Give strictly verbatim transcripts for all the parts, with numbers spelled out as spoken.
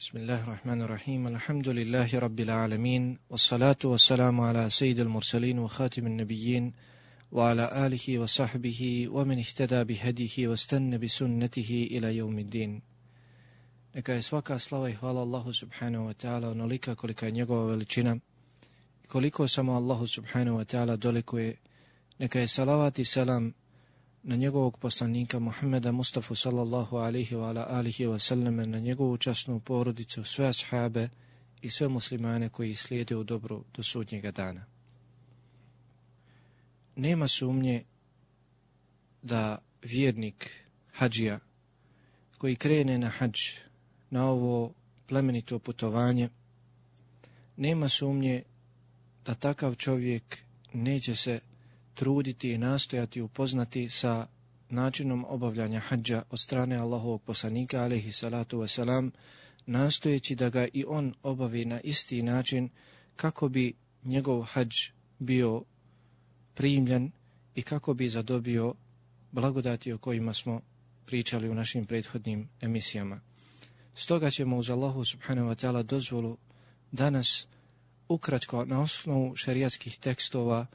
Bismillahirrahmanirrahim. Alhamdulillahi rabbil alamin. Wassalatu wassalamu ala sayyidil mursalin wa khatimin nabiyyin wa ala alihi wa sahbihi wa man ihtada bihadihi wa istanna bi sunnatihi ila yawmiddin. Neka je svaka slava i hvala Allahu subhanahu wa ta'ala onolika kolika je njegova veličina i koliko samo Allahu subhanahu wa ta'ala dolikuje. Neka je salavat i selam na njegovog poslanika Muhammeda Mustafa sallallahu alaihi wa ala alihi wa sallam, na njegovu časnu porodicu, sve ashabe i sve muslimane koji slijede u dobru do sudnjega dana. Nema sumnje da vjernik hadžija koji krene na hadž, na ovo plemenito putovanje, nema sumnje da takav čovjek neće se truditi i nastojati upoznati sa načinom obavljanja hadža od strane Allahovog poslanika alejhi salatu vesselam, nastojeći da ga i on obavi na isti način kako bi njegov hadž bio primljen i kako bi zadobio blagodati o kojima smo pričali u našim prethodnim emisijama. Stoga ćemo uz Allahu subhanahu wa ta'ala dozvolu danas ukratko na osnovu šerijatskih tekstova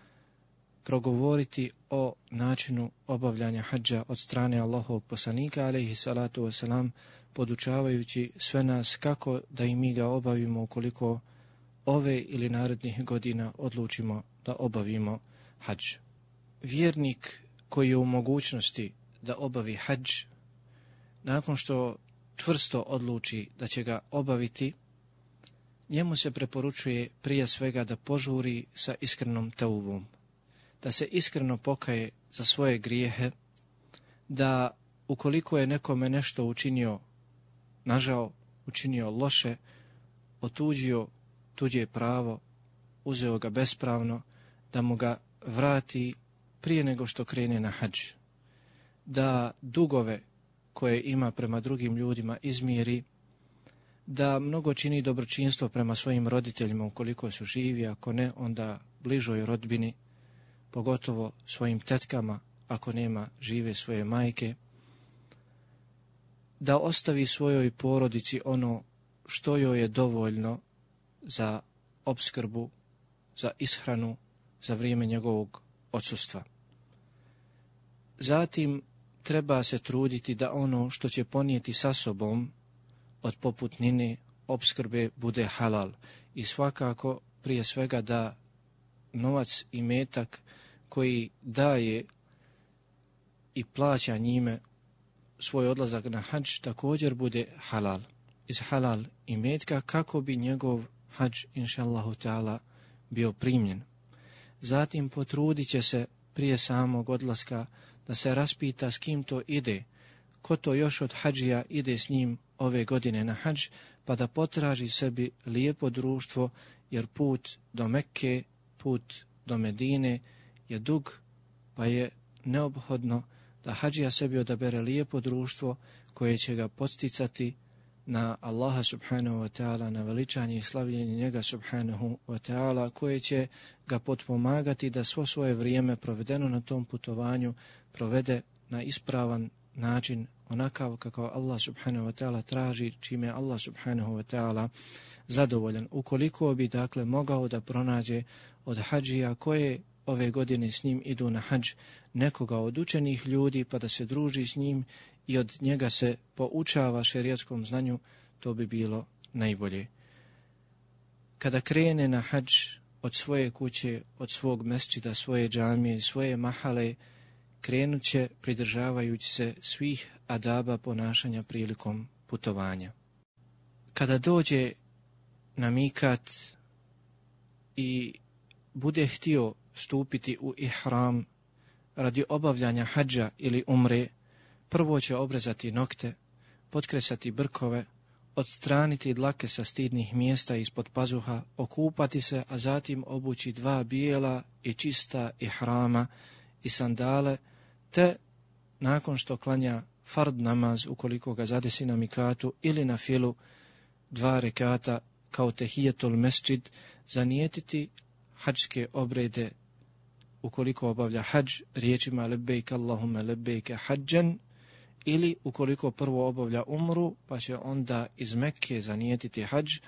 progovoriti o načinu obavljanja hadža od strane Allahovog poslanika alejhi salatu vesselam, podučavajući sve nas kako da i mi ga obavimo ukoliko ove ili narednih godina odlučimo da obavimo hadž. Vjernik koji je u mogućnosti da obavi hadž, nakon što čvrsto odluči da će ga obaviti, njemu se preporučuje prije svega da požuri sa iskrenom teubom, da se iskreno pokaje za svoje grijehe, da ukoliko je nekome nešto učinio nažao, učinio loše, otuđio tuđe pravo, uzeo ga bespravno, da mu ga vrati prije nego što krene na hadž, da dugove koje ima prema drugim ljudima izmiri, da mnogo čini dobročinstvo prema svojim roditeljima ukoliko su živi, ako ne, onda bližoj rodbini, pogotovo svojim tetkama ako nema žive svoje majke, da ostavi svojoj porodici ono što joj je dovoljno za opskrbu, za ishranu za vrijeme njegovog odsustva. Zatim treba se truditi da ono što će ponijeti sa sobom od poputnine, opskrbe bude halal i svakako prije svega da novac i metak koji daje i plaća njime svoj odlazak na hadž također bude halal, iz halal i metka, kako bi njegov hadž inšallahu ta'ala bio primljen. Zatim potrudit će se prije samog odlaska da se raspita s kim to ide, ko to još od hadžija ide s njim ove godine na hadž, pa da potraži sebi lijepo društvo, jer put do Mekke, put do Medine je dug, pa je neophodno da hadžija sebi odabere lijepo društvo koje će ga podsticati na Allaha subhanahu wa ta'ala, na veličanje i slavljenje njega subhanahu wa ta'ala, koje će ga potpomagati da svo svoje vrijeme provedeno na tom putovanju provede na ispravan način, onakav kako Allah subhanahu wa ta'ala traži, čime Allah subhanahu wa ta'ala zadovoljan. Ukoliko bi dakle mogao da pronađe od hadžija koje ove godine s njim idu na hadž nekoga od učenih ljudi, pa da se druži s njim i od njega se poučava šerijatskom znanju, to bi bilo najbolje. Kada krene na hadž od svoje kuće, od svog mesdžida, svoje džamije, svoje mahale, krenut će pridržavajući se svih adaba ponašanja prilikom putovanja. Kada dođe na mikat i bude htio stupiti u ihram radi obavljanja hadža ili umre, prvo će obrezati nokte, potkresati brkove, odstraniti dlake sa stidnih mjesta ispod pazuha, okupati se, a zatim obući dva bijela i čista ihrama i sandale, te nakon što klanja fard namaz, ukoliko ga zadesi na mikatu, ili na filu, dva rekata kao tehijetul mesdžid, zanijetiti hadžske obrede ukoliko obavlja hadž riječima lebejk Allahume lebejke hadžan ili ukoliko prvo obavlja umru, pa će onda iz Mekke zanijetiti hadž,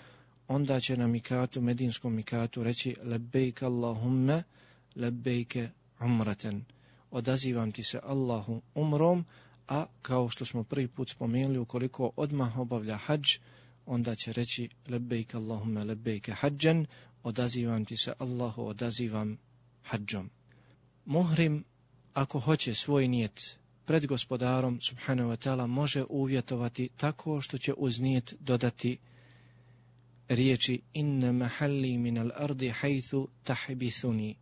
onda će na mikatu, medinskom mikatu reći lebejk Allahumme, lebejke umraten. Odazivam ti se Allahu umrom, a kao što smo prvi put spomenuli, ukoliko odmah obavlja hadž, onda će reći lebejk Allahumme, lebejke hadžan, odazivam ti se Allahu, odazivam hadžom. Muhrim, ako hoće svoj nijet pred gospodarom subhanahu wa ta'ala, može uvjetovati tako što će uz nijet dodati riječi inna mahalli min al-ardi haythu tahbithuni,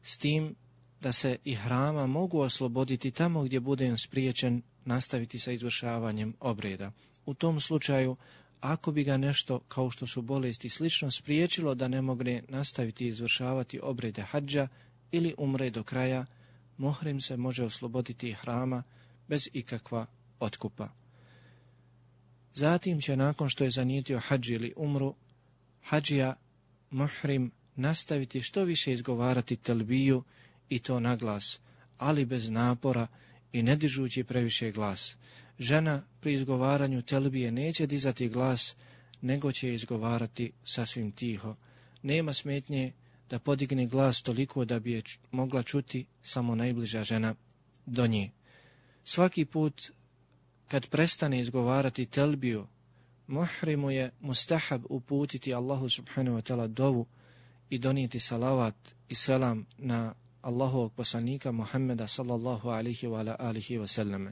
s tim da se ihrama mogu osloboditi tamo gdje budem spriječen nastaviti sa izvršavanjem obreda. U tom slučaju, ako bi ga nešto, kao što su bolesti slično, spriječilo da ne mogne nastaviti izvršavati obrede hadža ili umre do kraja, muhrim se može osloboditi ihrama bez ikakva otkupa. Zatim će, nakon što je zanijetio hadž ili umru, hadžija muhrim nastaviti što više izgovarati telbiju, i to na glas, ali bez napora i ne dižući previše glas. Žena pri izgovaranju telbije neće dizati glas, nego će izgovarati sasvim tiho. Nema smetnje da podigne glas toliko da bi je mogla čuti samo najbliža žena do nje. Svaki put kad prestane izgovarati telbiju, muhrimu je mustahab uputiti Allahu subhanahu wa ta'ala dovu i donijeti salavat i selam na Allahovog poslanika Muhammeda sallallahu alihi wa alihi wa sallame.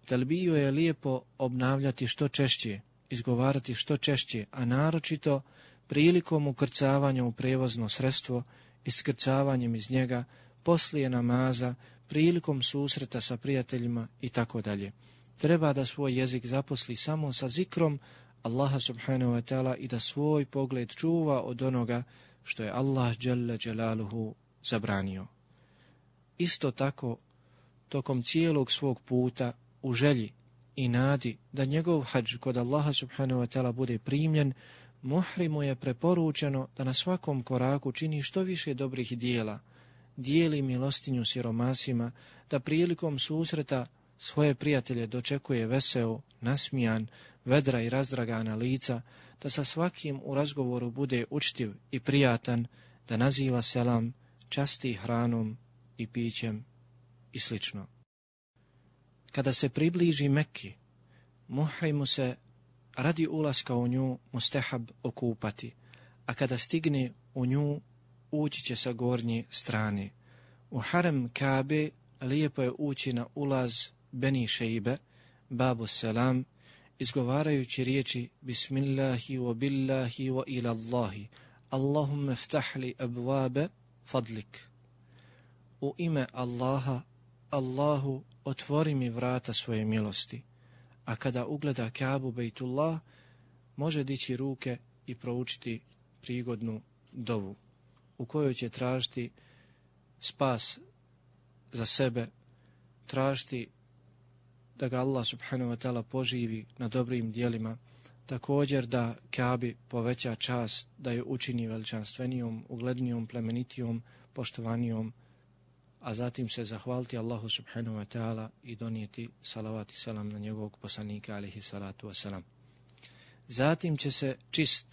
Telbiju je lijepo obnavljati što češće, izgovarati što češće, a naročito prilikom ukrcavanja u prevozno sredstvo, iskrcavanjem iz njega, poslije namaza, prilikom susreta sa prijateljima i tako dalje. Treba da svoj jezik zaposli samo sa zikrom Allaha subhanahu wa ta'ala i da svoj pogled čuva od onoga što je Allah dželle dželaluhu zabranio. Isto tako, tokom cijelog svog puta, u želji i nadi da njegov hadž kod Allaha subhanahu wa ta'ala bude primljen, muhrimu je preporučeno da na svakom koraku čini što više dobrih dijela, dijeli milostinju siromasima, da prilikom susreta svoje prijatelje dočekuje veseo, nasmijan, vedra i razdragana lica, da sa svakim u razgovoru bude učtiv i prijatan, da naziva selam, časti hranom i pićem i slično. Kada se približi Mekki, muhrimu se radi ulaska u nju mustahab okupati, a kada stigne u nju ući će sa gornje strane. U harem Kabe lijepo je ući na ulaz Beni Šejbe, babu selam, izgovarajući riječi Bismillahi wa billahi wa ila Allahi, Allahumma ftahli abwabe fadlik. U ime Allaha, Allahu, otvori mi vrata svoje milosti. A kada ugleda Kabu Bejtullah, može dići ruke i proučiti prigodnu dovu, u kojoj će tražiti spas za sebe, tražiti da ga Allah subhanahu wa ta'ala poživi na dobrim dijelima, također da Kabi poveća čast, da je učini veličanstvenijom, uglednijom, plemenitijom, poštovanijom, a zatim se zahvaliti Allahu subhanahu wa ta'ala i donijeti salavat i selam na njegovog poslanika alihi salatu wasalam. Zatim će se čist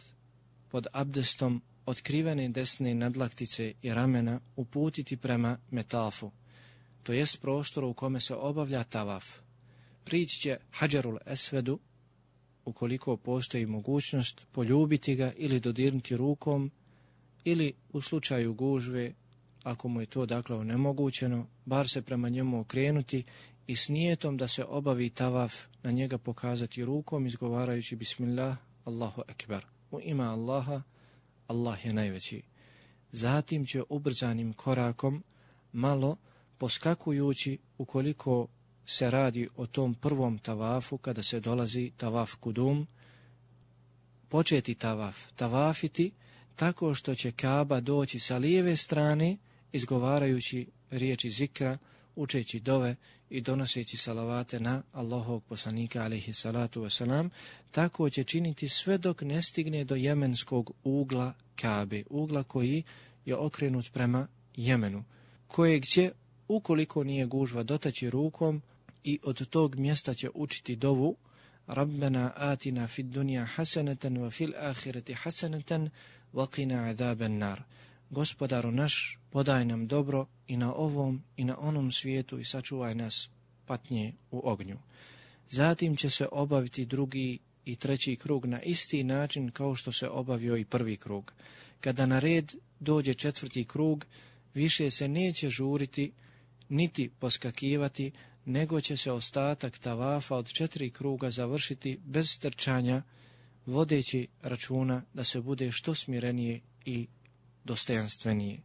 pod abdestom otkrivene desne nadlaktice i ramena uputiti prema metafu, to jest prostoru u kome se obavlja tavaf. Prići će Hadžarul Esvedu, ukoliko postoji mogućnost, poljubiti ga ili dodirnuti rukom, ili u slučaju gužve, ako mu je to dakle onemogućeno, bar se prema njemu okrenuti i s nijetom da se obavi tavaf na njega pokazati rukom, izgovarajući Bismillah, Allahu Ekber. U ime Allaha, Allah je najveći. Zatim će ubrzanim korakom, malo poskakujući, ukoliko se radi o tom prvom tavafu, kada se dolazi tavaf kudum, početi tavaf, tavafiti tako što će Kaaba doći sa lijeve strane, izgovarajući riječi zikra, učeći dove i donoseći salavate na Allahovog poslanika alejhi salatu wasalam, tako će činiti sve dok ne stigne do jemenskog ugla Kabe, ugla koji je okrenut prema Jemenu, kojeg će, ukoliko nije gužva, dotaći rukom, i od tog mjesta će učiti dovu Rabbena atina fid dunja hasanatan wa fil ahireti hasanatan wa qina azaban nar. Gospodaru naš, podaj nam dobro i na ovom i na onom svijetu i sačuvaj nas patnje u ognju. Zatim će se obaviti drugi i treći krug na isti način kao što se obavio i prvi krug. Kada na red dođe četvrti krug, više se neće žuriti niti poskakivati, nego će se ostatak tavafa od četiri kruga završiti bez trčanja, vodeći računa da se bude što smirenije i dostojanstvenije.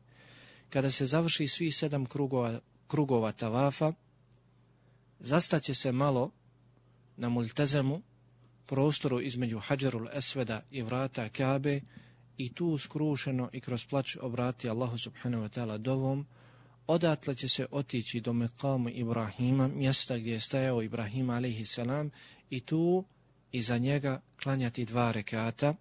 Kada se završi svi sedam krugova, krugova tavafa, zastaće se malo na multezemu, prostoru između Hadžerul Esveda i vrata Kabe, i tu skrušeno i kroz plač obrati Allahu subhanahu wa ta'ala dovom. Odatle će se otići do Mekamu Ibrahima, mjesta gdje je stajao Ibrahim alejhi selam, i tu iza njega klanjati dva rekata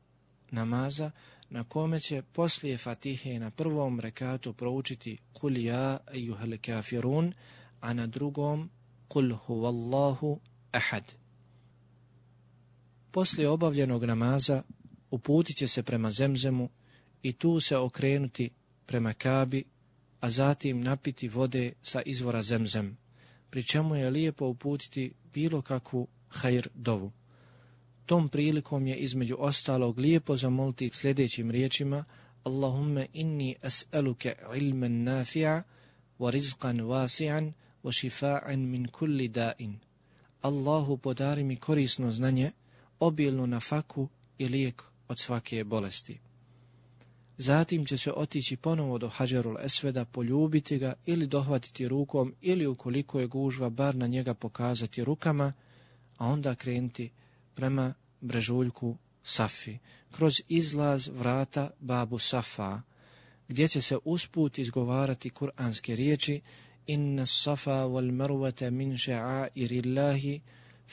namaza, na kome će poslije Fatihe na prvom rekatu proučiti Kul ja ejuhel kafirun, a na drugom Kul huvallahu ahad. Poslije obavljenog namaza uputit će se prema Zemzemu i tu se okrenuti prema Kabi, a zatim napiti vode sa izvora Zemzem, pri čemu je lijepo uputiti bilo kakvu hajr dovu. Tom prilikom je između ostalog lijepo zamoliti sljedećim riječima: Allahumme inni as'aluke ilmen nafi'a wa rizqan wasi'an wa šifa'an min kulli da'in. Allahu, podari mi korisno znanje, obilnu nafaku i lijek od svake bolesti. Zatim će se otići ponovo do Hadžerul Esveda, poljubiti ga ili dohvatiti rukom, ili ukoliko je gužva bar na njega pokazati rukama, a onda krenuti prema brežuljku Safi, kroz izlaz vrata Babu Safa, gdje će se usput izgovarati kuranske riječi: Inna safa wal marwata min ša'airillahi,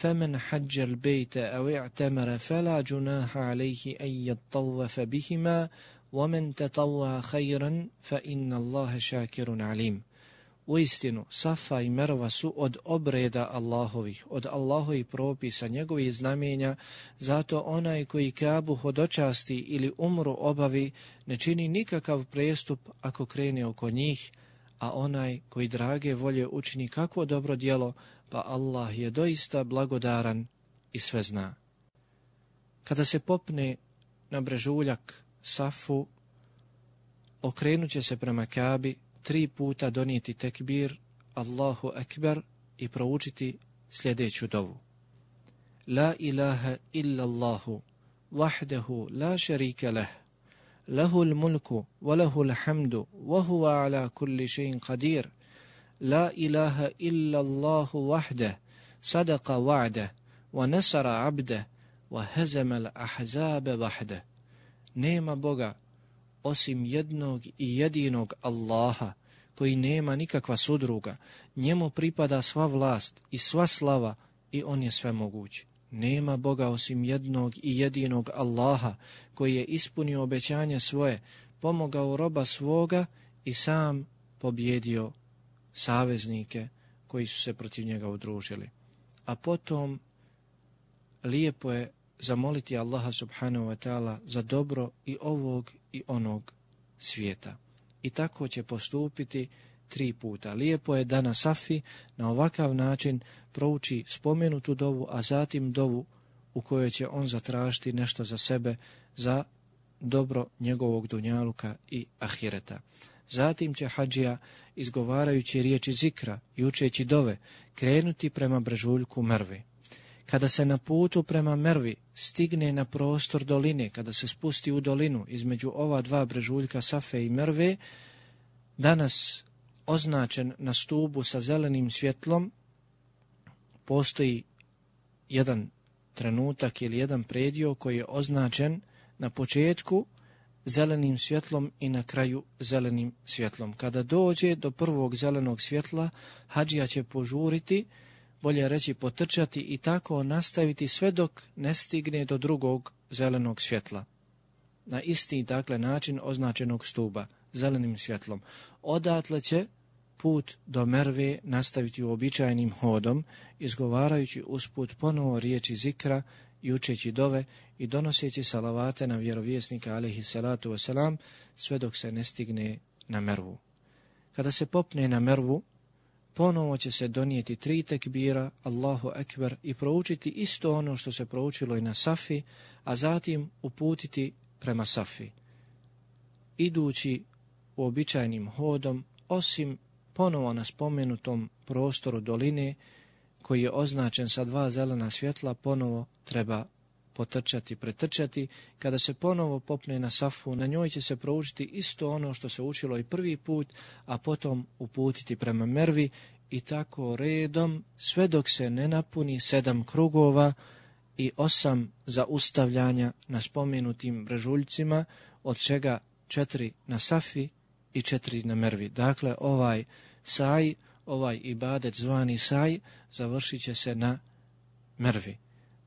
فمن حج البيت أو اعتمر فلا جناح عليه أن يطوف بهما ومن تطوع خيرا فإن الله شاكر عليم. Uistinu, Safa i Merva su od obreda Allahovih, od Allahovih propisa, njegovih znamenja, zato onaj koji Kabu hodočasti ili umru obavi ne čini nikakav prestup ako krene oko njih, a onaj koji drage volje učini kakvo dobro djelo, pa Allah je doista blagodaran i sve zna. Kada se popne na brežuljak Safu, okrenut će se prema Kabi, tri puta donijeti tekbir, Allahu Ekber, i proučiti sljedeću dovu: La ilaha illa Allahu, wahdahu la šarika leh, lahul mulku, wa lahul hamdu, wa huwa ala kulli še'in qadir. La ilaha illa Allahu wahdah, sadaqa wa'dah, wa nasara abdah, wa hazama al-ahzaba wahdah. Nema Boga osim jednog i jedinog Allaha, koji nema nikakva sudruga. Njemu pripada sva vlast i sva slava i on je svemoguć. Nema Boga osim jednog i jedinog Allaha, koji je ispunio obećanje svoje, pomogao roba svoga i sam pobjedio saveznike koji su se protiv njega udružili. A potom lijepo je zamoliti Allaha subhanahu wa ta'ala za dobro i ovog i onog svijeta. I tako će postupiti tri puta. Lijepo je da na Safi na ovakav način prouči spomenutu dovu, a zatim dovu u kojoj će on zatražiti nešto za sebe, za dobro njegovog dunjaluka i ahireta. Zatim će hadžija, izgovarajući riječi zikra i učeći dove, krenuti prema brežuljku Mervi. Kada se na putu prema Mervi stigne na prostor doline, kada se spusti u dolinu između ova dva brežuljka Safe i Merve, danas označen na stubu sa zelenim svjetlom, postoji jedan trenutak ili jedan predio koji je označen na početku zelenim svjetlom i na kraju zelenim svjetlom. Kada dođe do prvog zelenog svjetla, hadžija će požuriti, bolje reći potrčati, i tako nastaviti sve dok ne stigne do drugog zelenog svjetla. Na isti, dakle, način označenog stuba, zelenim svjetlom. Odatle će put do Merve nastaviti uobičajenim hodom, izgovarajući usput ponovo riječi zikra i učeći dove i donoseći salavate na vjerovjesnika alejhi salatu vesselam sve dok se ne stigne na Mervu. Kada se popne na Mervu, ponovo će se donijeti tri tekbira, Allahu ekber, i proučiti isto ono što se proučilo i na Safi, a zatim uputiti prema Safi, idući uobičajenim hodom, osim ponovo na spomenutom prostoru doline koji je označen sa dva zelena svjetla, ponovo treba potrčati, pretrčati. Kada se ponovo popne na Safu, na njoj će se proučiti isto ono što se učilo i prvi put, a potom uputiti prema Mervi i tako redom sve dok se ne napuni sedam krugova i osam zaustavljanja na spomenutim brežuljcima, od čega četiri na Safi i četiri na Mervi. Dakle, ovaj saj, ovaj ibadet zvani saj, završit će se na Mervi.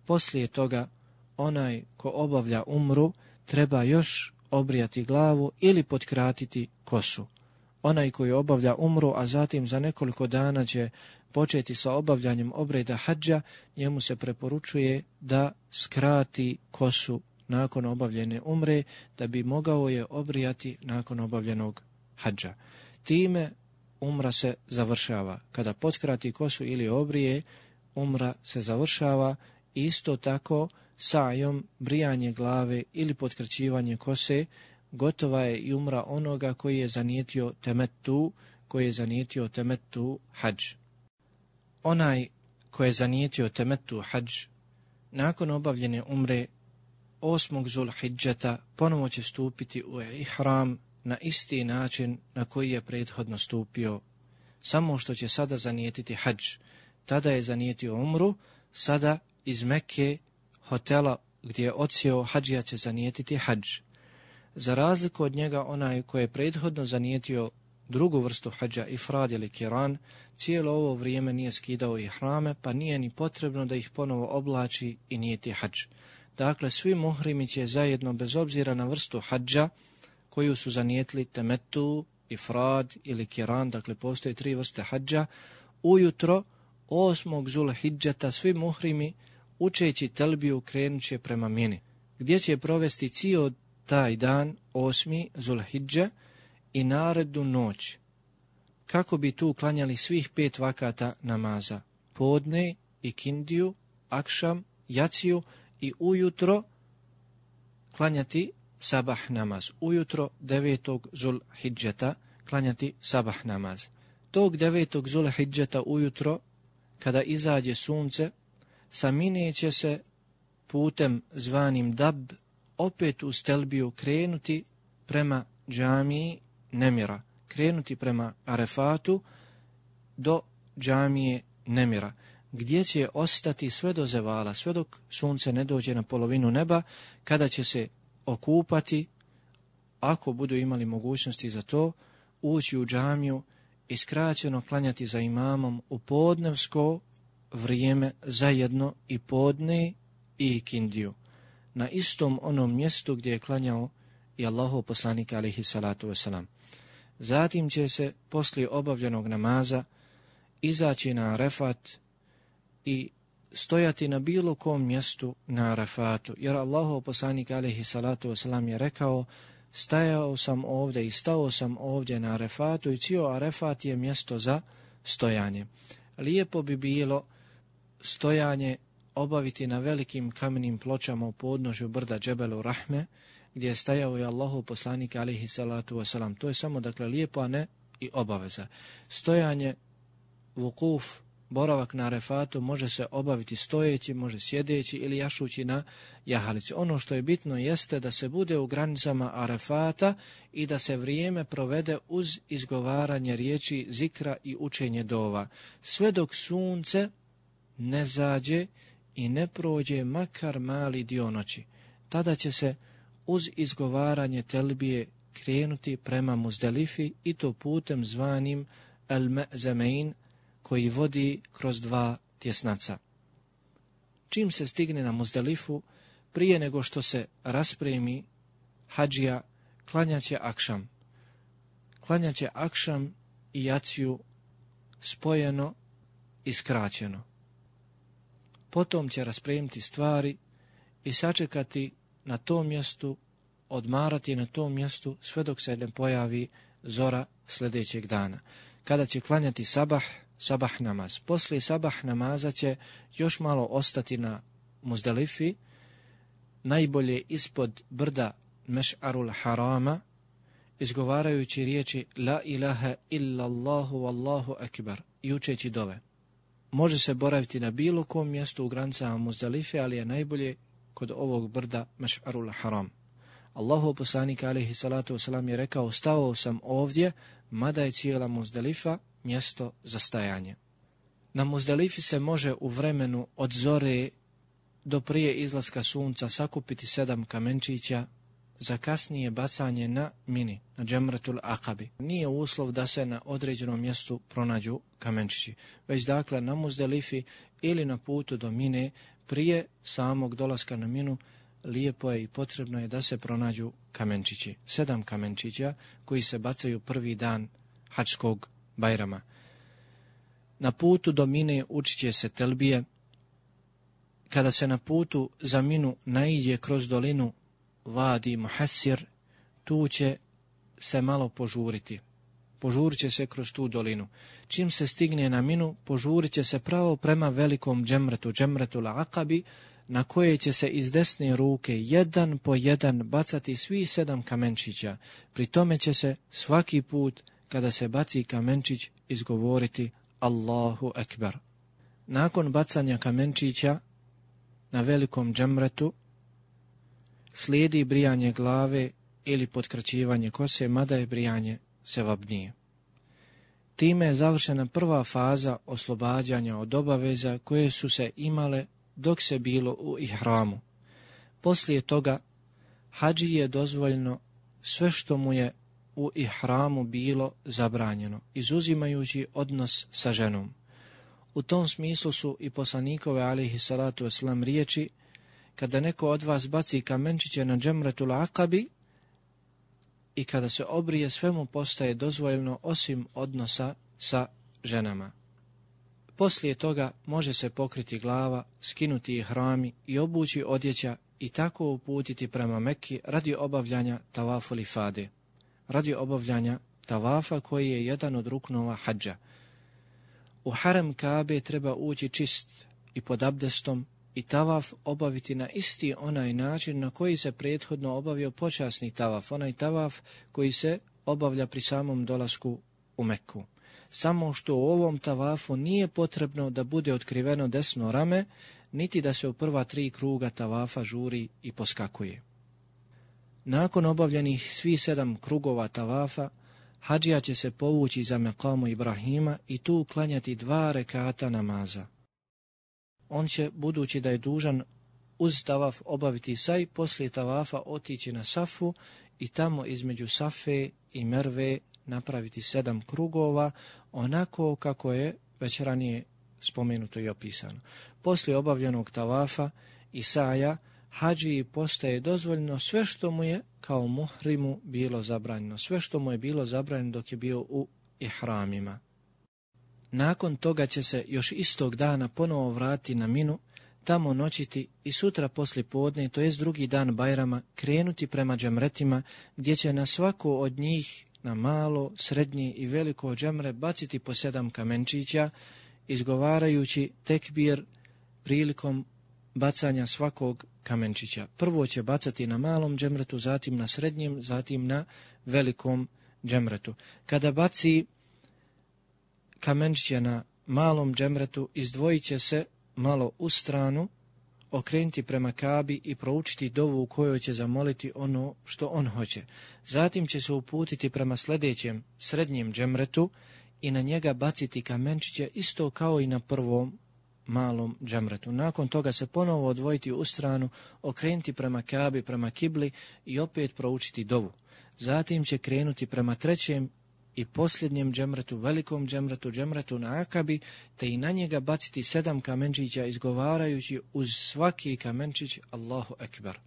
Poslije toga, onaj ko obavlja umru treba još obrijati glavu ili potkratiti kosu. Onaj koji obavlja umru, a zatim za nekoliko dana će početi sa obavljanjem obreda hadža, njemu se preporučuje da skrati kosu nakon obavljene umre, da bi mogao je obrijati nakon obavljenog hadža. Time umra se završava. Kada potkrati kosu ili obrije, umra se završava. Isto tako, sajom, brijanje glave ili potkraćivanje kose, gotova je i umra onoga koji je zanijetio temetu, koji je zanijetio temetu hadž. Onaj koji je zanijetio temetu hadž, nakon obavljene umre, osmog Zulhidžeta ponovo će stupiti u ihram na isti način na koji je prethodno stupio, samo što će sada zanijetiti hadž. Tada je zanijetio umru, sada iz Mekke, hotela gdje je odsjeo hadžija, će zanijetiti hadž. Za razliku od njega, onaj koji je prethodno zanijetio drugu vrstu hadža, ifrad ili kiran, cijelo ovo vrijeme nije skidao ihrame, pa nije ni potrebno da ih ponovo oblači i nijeti hadž. Dakle, svi muhrimi će zajedno, bez obzira na vrstu hadža koju su zanijetili, temetu, ifrad ili kiran, dakle postoje tri vrste hadža, ujutro osmog Zulhidžeta svi muhrimi, učeći telbiju, krenut će prema Mini, gdje će provesti cijel taj dan, osmi Zulhidža, i narednu noć, kako bi tu klanjali svih pet vakata namaza, podne, ikindiju, akšam, jaciju, i ujutro klanjati sabah namaz. Ujutro devetog Zulhidžeta klanjati sabah namaz. Tog devetog Zulhidžeta ujutro, kada izađe sunce, sa Mine će se putem zvanim Dab opet u stelbiju krenuti prema džamiji Nemira, krenuti prema Arefatu do džamije Nemira, gdje će ostati sve do zevala, sve dok sunce ne dođe na polovinu neba, kada će se okupati, ako budu imali mogućnosti za to, ući u džamiju i skraćeno klanjati za imamom u podnevsko vrijeme zajedno i podne i ikindiju, na istom onom mjestu gdje je klanjao i Allahov poslanik alejhi salatu vesselam. Zatim će se poslije obavljenog namaza izaći na Arefat i stojati na bilo kom mjestu na Arefatu, jer Allahov poslanik alejhi salatu vesselam je rekao: stajao sam ovdje i stao sam ovdje na Arefatu i cijel Arefat je mjesto za stojanje. Lijepo bi bilo stojanje obaviti na velikim kamenim pločama u podnožju brda Džebelu Rahme, gdje je stajao i Allahov poslanik alejhi salatu vesselam. To je samo, dakle, lijepo, a ne i obaveza. Stojanje, vukuf, boravak na Arefatu može se obaviti stojeći, može sjedeći ili jašući na jahalici. Ono što je bitno jeste da se bude u granicama Arefata i da se vrijeme provede uz izgovaranje riječi zikra i učenje dova, sve dok sunce ne zađe i ne prođe makar mali dio noći. Tada će se uz izgovaranje telbije krenuti prema Muzdelifi, i to putem zvanim El-Me'zemein, koji vodi kroz dva tjesnaca. Čim se stigne na Muzdelifu, prije nego što se raspremi hadžija, klanjaće akšam. Klanjaće akšam i jaciju spojeno i skraćeno. Potom će raspremiti stvari i sačekati na tom mjestu, odmarati na tom mjestu sve dok se ne pojavi zora sljedećeg dana, kada će klanjati sabah, sabah namaz. Poslije sabah namaza će još malo ostati na Muzdalifi, najbolje ispod brda Meš'arul Harama, izgovarajući riječi La ilaha illallahu wallahu akbar i učeći dove. Može se boraviti na bilo kom mjestu u granicama Muzdalife, ali je najbolje kod ovog brda Meš'arul Haram. Allahov poslanik alejhi salatu vesselam je rekao: stao sam ovdje, mada je cijela Muzdalifa mjesto za stajanje. Na Muzdalifi se može u vremenu od zore do prije izlaska sunca sakupiti sedam kamenčića za kasnije bacanje na mini, na džemratul akabi. Nije uslov da se na određenom mjestu pronađu kamenčići, već dakle na Muzdalifi ili na putu do mine prije samog dolaska na minu lijepo je i potrebno je da se pronađu kamenčići. Sedam kamenčića koji se bacaju prvi dan hadžskog bajrama. Na putu do mine učit će se telbije. Kada se na putu za minu naiđe kroz dolinu Vadi Muhassir, tu će se malo požuriti. Požurit će se kroz tu dolinu. Čim se stigne na minu, požurit će se pravo prema velikom džemretu, džemretul akabi, na koje će se iz desne ruke jedan po jedan bacati svi sedam kamenčića. Pri tome će se svaki put kada se baci kamenčić izgovoriti Allahu ekber. Nakon bacanja kamenčića na velikom džemretu slijedi brijanje glave ili potkraćivanje kose, mada je brijanje sevabnije. Time je završena prva faza oslobađanja od obaveza koje su se imale dok se bilo u ihramu. Poslije toga hadži je dozvoljeno sve što mu je u ihramu bilo zabranjeno, izuzimajući odnos sa ženom. U tom smislu su i poslanikove alejhi salatu vesselam riječi: kada neko od vas baci kamenčiće na džemratul akabi i kada se obrije, sve mu postaje dozvoljeno osim odnosa sa ženama. Poslije toga može se pokriti glava, skinuti ihrami i obući odjeća i tako uputiti prema Mekki radi obavljanja tavaful ifade, radi obavljanja tavafa koji je jedan od ruknova hadža. U harem Kabe treba ući čist i pod abdestom i tavaf obaviti na isti onaj način na koji se prethodno obavio počasni tavaf, onaj tavaf koji se obavlja pri samom dolasku u Mekku. Samo što u ovom tavafu nije potrebno da bude otkriveno desno rame, niti da se u prva tri kruga tavafa žuri i poskakuje. Nakon obavljenih svi sedam krugova tavafa, hadžija će se povući za mekamu Ibrahima i tu klanjati dva rekata namaza. On će, budući da je dužan uz tavaf obaviti saj, poslije tavafa otići na Safu i tamo između Safe i Merve napraviti sedam krugova, onako kako je već ranije spomenuto i opisano. Poslije obavljenog tavafa i saja, hadžiji postaje dozvoljeno sve što mu je kao muhrimu bilo zabranjeno, sve što mu je bilo zabranjeno dok je bio u ihramima. Nakon toga će se još istog dana ponovo vratiti na Minu, tamo noćiti i sutra poslije podne, to jest drugi dan Bajrama, krenuti prema džemretima, gdje će na svako od njih, na malo, srednje i veliko džemre, baciti po sedam kamenčića, izgovarajući tekbir prilikom bacanja svakog kamenčića. Prvo će bacati na malom džemretu, zatim na srednjem, zatim na velikom džemretu. Kada baci kamenčiće na malom džemretu, izdvojit će se malo u stranu, okrenuti prema Kabi i proučiti dovu u kojoj će zamoliti ono što on hoće. Zatim će se uputiti prema sljedećem srednjem džemretu i na njega baciti kamenčiće isto kao i na prvom malom džemretu. Nakon toga se ponovo odvojiti u stranu, okrenuti prema Kabi, prema kibli i opet proučiti dovu. Zatim će krenuti prema trećem i posljednjem džemretu, velikom džemretu, džemretu na Akabi, te i na njega baciti sedam kamenčića, izgovarajući uz svaki kamenčić Allahu ekber.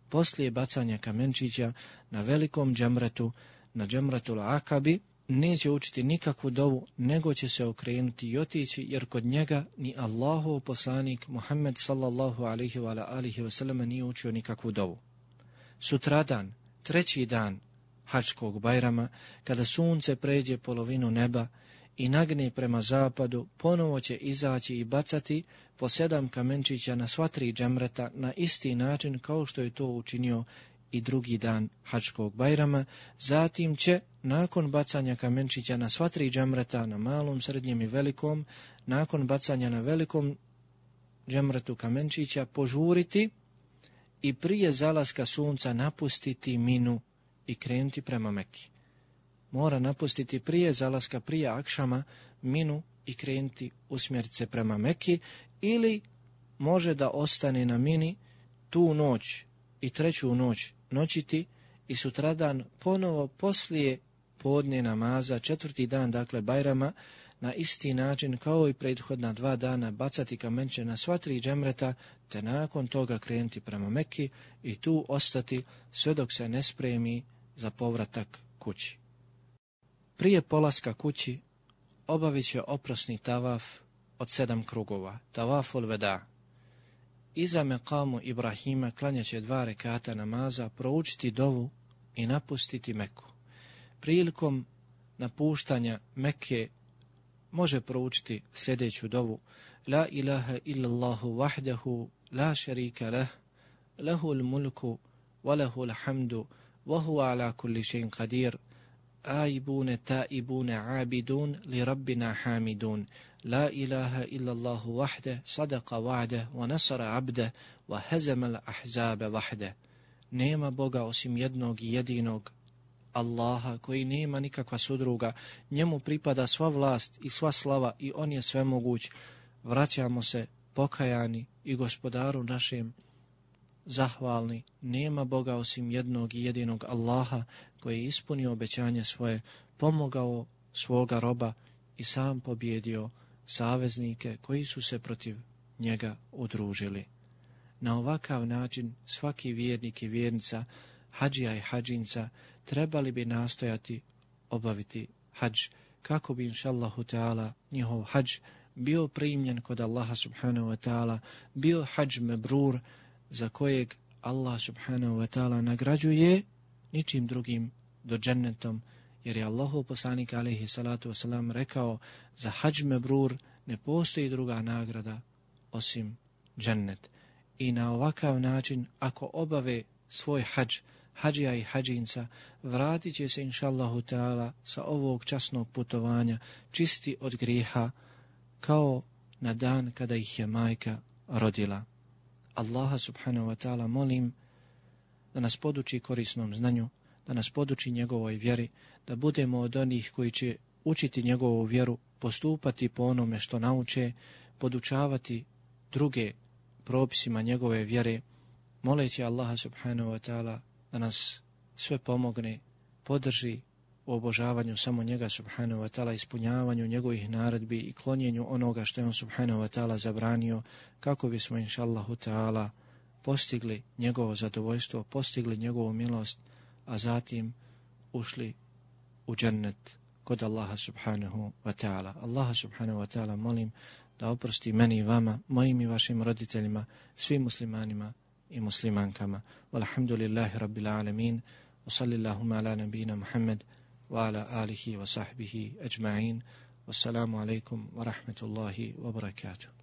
Poslije bacanja kamenčića na velikom džemretu, na džemretu na Akabi, neće učiti nikakvu dovu, nego će se okrenuti i otići, jer kod njega ni Allahov poslanik Muhammed sallallahu alaihi wa alihi wa sallam nije učio nikakvu dovu. Sutradan, treći dan Hadžkog Bajrama, kada sunce pređe polovinu neba i nagne prema zapadu, ponovo će izaći i bacati po sedam kamenčića na sva tri džemreta na isti način kao što je to učinio i drugi dan Hadžkog Bajrama. Zatim će, nakon bacanja kamenčića na sva tri džemreta, na malom, srednjem i velikom, nakon bacanja na velikom džemretu kamenčića, požuriti i prije zalaska sunca napustiti Minu i krenuti prema Meki. Mora napustiti prije zalaska, prije akšama, Minu i krenuti usmjeriti se prema Meki, ili može da ostane na Mini tu noć i treću noć noćiti i sutradan ponovo poslije podne namaza, četvrti dan, dakle Bajrama, na isti način kao i prethodna dva dana bacati kamenče na sva tri džemreta, te nakon toga krenuti prema Meki i tu ostati sve dok se ne spremi za povratak kući. Prije polaska kući obavit će oprosni tavaf od sedam krugova, tavaful veda. Iza mekamu Ibrahima klanjaće dva rekata namaza, proučiti dovu i napustiti Meku. Prilikom napuštanja Mekke može proučiti sljedeću dovu: La ilaha illallahu wahdahu, la šarika lah, lahul mulku, wa lahul hamdu, wa huwa ala kulli še'in qadir, aibune taibune abidun, li rabbina hamidun. La ilaha illallahu wahde, sadaqa wa'de, wa nasara abde, wa hezemal ahzabe wahde. Nema Boga osim jednog i jedinog, Allaha, koji nema nikakva sudruga, njemu pripada sva vlast i sva slava i on je svemoguć. Vraćamo se pokajani i gospodaru našem zahvalni. Nema Boga osim jednog i jedinog Allaha, koji je ispunio obećanje svoje, pomogao svoga roba i sam pobjedio saveznike koji su se protiv njega udružili. Na ovakav način svaki vjernik i vjernica, hadžija i hadžinca, trebali bi nastojati obaviti hadž, kako bi inšallahu ta'ala njihov hadž bio primljen kod Allaha subhanahu wa ta'ala, bio hadž mebrur za kojeg Allah subhanahu wa ta'ala nagrađuje ničim drugim do džennetom, jer je Allahov poslanik alejhi salatu wasalam rekao: za hadž mebrur ne postoji druga nagrada osim džennet. I na ovakav način, ako obave svoj hadž, hadžija i hadžinca, vratit će se inšallahu ta'ala sa ovog časnog putovanja čisti od grijeha, kao na dan kada ih je majka rodila. Allaha subhanahu wa ta'ala molim da nas poduči korisnom znanju, da nas poduči njegovoj vjeri, da budemo od onih koji će učiti njegovu vjeru, postupati po onome što nauče, podučavati druge propisima njegove vjere, moleći Allaha subhanahu wa ta'ala da nas sve pomogne, podrži u obožavanju samo njega subhanahu wa ta'ala, ispunjavanju njegovih naredbi i klonjenju onoga što je on subhanahu wa ta'ala zabranio, kako bismo inšallahu ta'ala postigli njegovo zadovoljstvo, postigli njegovu milost, a zatim ušli u džennet kod Allaha subhanahu wa ta'ala. Allaha subhanahu wa ta'ala molim da oprosti meni i vama, mojim i vašim roditeljima, svim muslimanima i muslimankama. Walhamdulillahi rabbil alamin, wa sallillahuma ala nabina Muhammad wa ala alihi wa sahbihi ajma'in. Wassalamu alaikum wa rahmatullahi wa barakatuh.